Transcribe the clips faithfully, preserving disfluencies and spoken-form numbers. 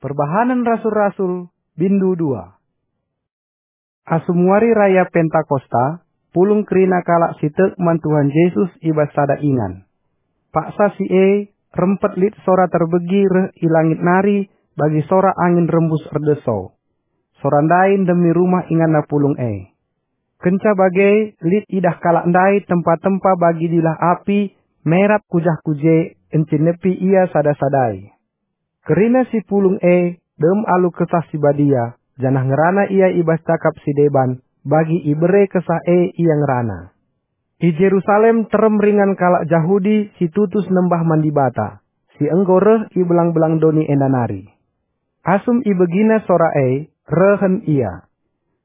Perbahanen Rasul-Rasul, bindu dua. Asum wari raya Pentakosta, pulung kerina kalak si tek man Tuhan Jesus i bas sada ingan. Paksa si e, rempet lit sora terbegi reh i langit nari bagi sora angin rembus erdeso. Sora ndai ndemi rumah inganna pulung e. Kenca bage, lit idah kalak ndai tempa-tempa bagi dilah api merap ku jah ku je, encinepi ia sada-sadai. Kerina si pulung e dem alu Kesah Si Badia, janah ngerana ia i bas cakap si deban, bagi ibere Kesah e ia ngerana. I Jerusalem terem ringan kalak Jahudi si tutus nembah man Dibata, si enggo reh i belang-belang doni enda nari. Asum ibegina sora e, rehen ia.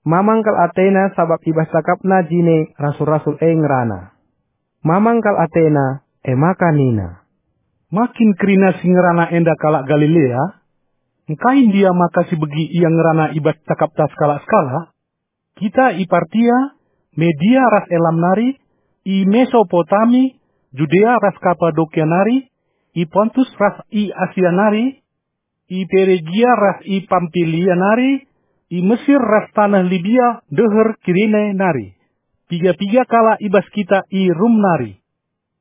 Mamang kal atena sabap i bas cakapna jine rasul-rasul e ngerana. Mamang kal atena, e maka nina, "Ma kin kerina si ngerana enda kalak Galilea? Engkai ndia maka sibegi ia ngerana i bas cakapta sekalak-sekalak? Kita i Partia, Media ras Elam nari, i Mesopotami, Judea ras Kapadokia nari, i Pontus ras i Asia nari, i Peregia ras i Pampilia nari, i Mesir ras taneh Libia deher Kirene nari. Piga-piga kalak i bas kita i Rum nari.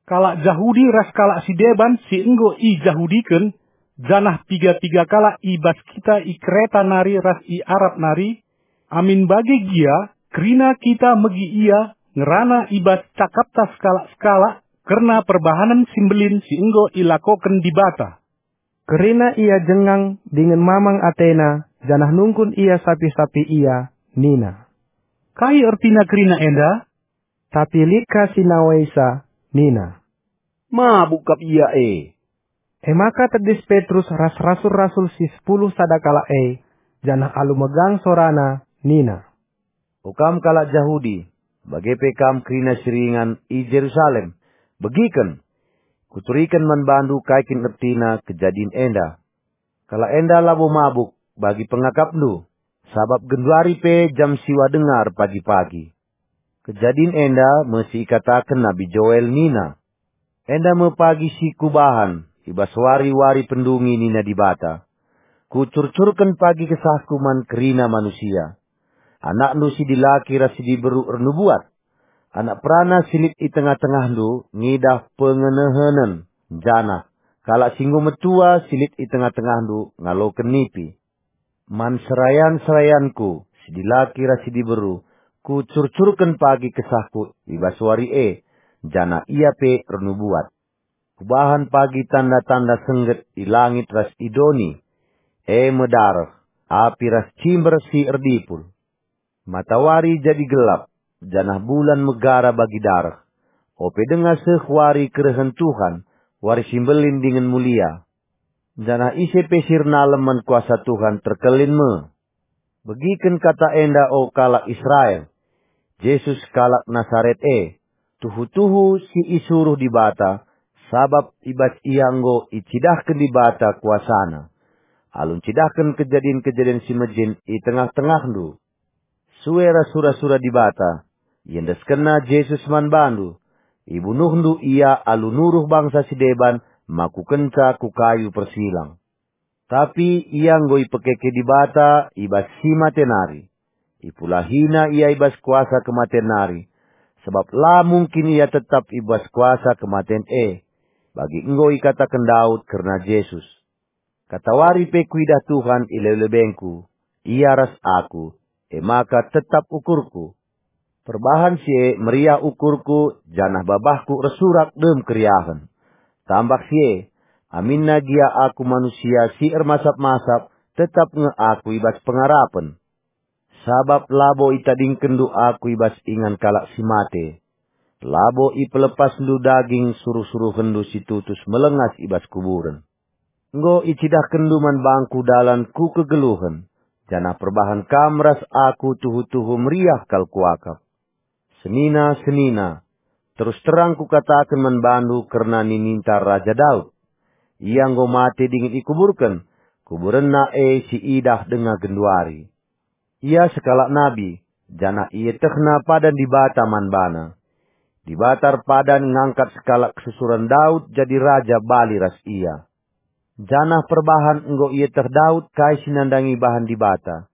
Kalak Jahudi ras kalak si deban si enggo ijahudiken, janah piga-piga kalak i bas kita i Kreta nari ras i Arab nari, amin bage gia kerina kita megi ia ngerana i bas cakapta sekalak-sekalak kerna perbahanen si mbelin si enggo ilakoken Dibata." Kerina ia jengang dingen mamang atena, janah nungkun ia sapi-sapi ia, nina, "Kai ertina kerina enda?" Tapi lit ka si nawaisa, nina, "Mabuk kap ia e." E maka tedis Petrus ras rasul-rasul si sepuluh sada kalak e, janah alu megang sorana, nina, "O kam kalak Jahudi, bage pe kam kerina si ringan i Jerusalem, begiken! Kuturiken man bandu kai kin ertina kejadin enda. Kalak enda labo mabuk bagi pengakapndu, sabap genduari pe jam siwa denga erpagi-pagi. Kejadin enda me si ikataken Nabi Joel nina, 'Enda me pagi si Kubahan i bas wari-wari pendungi,' nina Dibata. 'Kucurcurken pagi KesahKu man kerina manusia. Anakndu si dilaki ras si diberu ernubuat. Anak perana si lit i tengah-tengahndu ngidah pengenehenen, janah kalak si enggo metua si lit i tengah-tengahndu ngaloken nipi. Man serayan-serayanKu si dilaki ras si diberu, Kucurcurken pagi KesahKu i bas wari e, janah ia pe ernubuat. Kubahan pagi tanda-tanda sengget i langit ras i doni, e me dareh, api ras cimber si erdipul. Matawari jadi gelap, janah bulan megara bagi dareh, ope denga seh wari kerehen Tuhan, wari si mbelin dingen mulia. Janah ise pe si ernalem man kuasa Tuhan terkelin me.' Begiken kata enda, o kalak Israel, Jesus kalak Nasaret e, tuhu-tuhu si isuruh Dibata, sabap i bas Ia enggo icidahken Dibata kuasaNa, alu ncidahken kejadin-kejadin si mejin i tengah-tengahndu. Sue ras sura-sura Dibata, iendeskenNa Jesus man bandu. Ibunuhndu Ia alu nuruh bangsa si deban makukenca ku kayu persilang. Tapi Ia enggo ipekeke Dibata i bas si mate nari. IpulahiNa Ia i bas kuasa kematen nari, sabap la mungkin Ia tetap i bas kuasa kematen e. Bagi enggo ikataken Daud kerna Jesus, "Katawari pe kuidah Tuhan i lebe-lebeNgu, Ia ras Aku, e maka tetap ukurKu. Perbahan si e meriah ukurKu, janah babahKu ersurak dem keriahen. Tambah si e, aminna gia Aku manusia si ermasap-masap, tetap nge Aku i bas pengarapen. Sabap labo itadingkenndu Aku i bas ingan kalak si mate. Labo ipelepasndu daging suruh-suruhenndu si tutus melengas i bas kuburen. Enggo icidahkenndu man bangKu dalan ku kegeluhen, janah perbahan kam ras Aku tuhu-tuhu meriah kal kuakap. Senina-senina, terus terang Kukataken man bandu kerna nininta Raja Daud. Ia enggo mate dingen ikuburken, kuburenna e siidah denga genduari. Ia sekalak nabi, janah ietehna padan Dibata man bana. Dibata erpadan ngangkat sekalak kesusuren Daud jadi raja bali ras ia. Janah perbahan enggo ieteh Daud kai si nandangi bahan Dibata.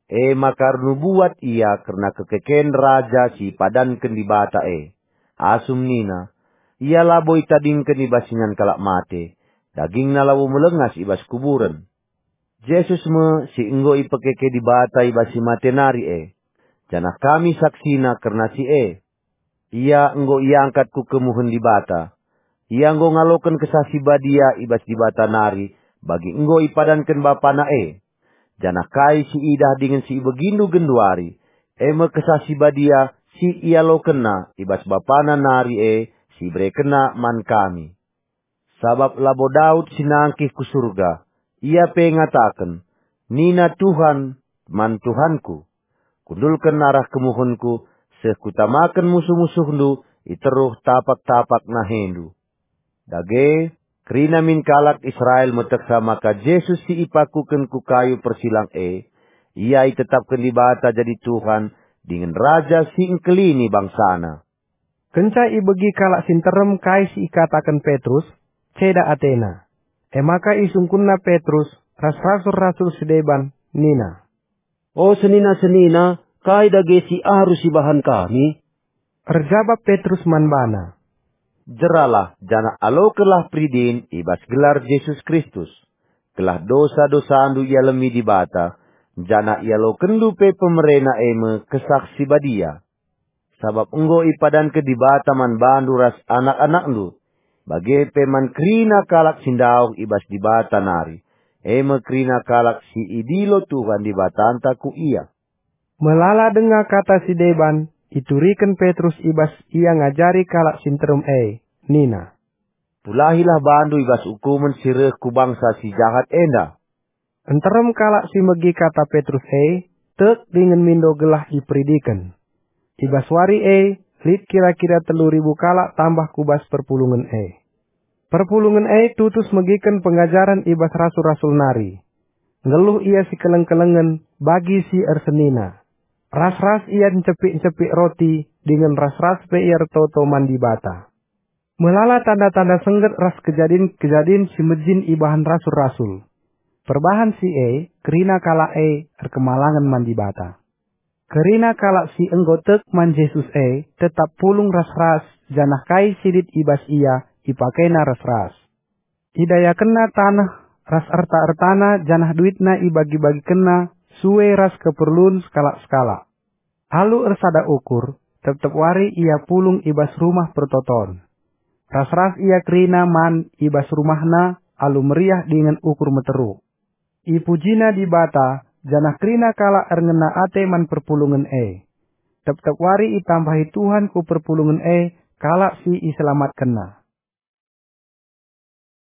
E maka ernubuat ia kerna kekeken Raja si ipadanken Dibata e. Asum nina, "Ia labo itadingken i bas ingan kalak mate, dagingna labo melengas i bas kuburen." Jesus me si enggo ipekeke Dibata i bas si mate nari e, janah kami saksina kerna si e. Ia enggo iangkat ku kemuhen Dibata. Ia enggo ngaloken Kesah Si Badia i bas Dibata nari, bagi enggo ipadanken BapaNa e. Janah kai si idah dingen si ibegindu genduari, e me Kesah Si Badia si ialokenNa i bas BapaNa nari e, si iberekenNa man kami. Sabap labo Daud si nangkih ku Surga, ia pe ngataken, "Nina Tuhan man Tuhanku, 'Kundulken arah kemuhenku, seh kutamaken musuh-musuhndu i teruh tapak-tapak nahendu.'" Dage, kerina min kalak Israel meteksa maka Jesus si ipakuken ku kayu persilang e, ia itetapken Dibata jadi Tuhan dingen Raja si engkelini bangsaNa. Kenca ibegi kalak si nterem kai si ikataken Petrus, ceda atena. E maka isungkunna Petrus ras rasul-rasul si deban nina, "O senina-senina, kai dage si arus ibahan kami?" Erjabap Petrus man bana, "Jeralah janah alokenlah peridin i bas gelar Jesus Kristus, gelah dosa-dosandu ialemi Dibata, janah ialokenndu pe pemereNa e me Kesah Si Badia. Sabap enggo ipadanken Dibata man bandu ras anak-anakndu, bage pe man kerina kalak si ndauh i bas Dibata nari, e me kerina kalak si idilo Tuhan Dibatanta ku ia." Melala denga kata si deban, ituriken Petrus i bas ia ngajari kalak si nterem e, nina, "Pulahilah bandu i bas ukumen si reh ku bangsa si jahat enda." Nterem kalak si megi kata Petrus e, tek dingen mindo gelah iperidiken. I bas wari e, lit kira-kira telu ribu kalak tambah ku bas perpulungen e. Perpulungen e tutus megiken pengajaren i bas rasul-rasul nari. Nggeluh ia sikeleng-kelengen bagi si ersenina. Ras-ras ia ncepik-ncepik roti, dingen ras-ras pe ia ertoto man Dibata. Melala tanda-tanda sengget ras kejadin-kejadin si mejin ibahan rasul-rasul. Perbahan si e, kerina kalak e erkemalangen man Dibata. Kerina kalak si enggo tek man Jesus e tetap pulung ras-ras, janah kai si lit i bas ia ipakena ras-ras. Idayakenna taneh ras erta-ertana janah duitna ibagi-bagikenna sue ras keperlun sekalak-sekalak. Alu ersada ukur, tep-tep wari ia pulung i bas Rumah Pertoton. Ras-ras ia kerina man i bas rumahna alu meriah dingen ukur meteruk. Ipujina Dibata, janah kerina kalak erngena ate man perpulungen e. Tep-tep wari itambahi Tuhan ku perpulungen e kalak si iselamatkenNa.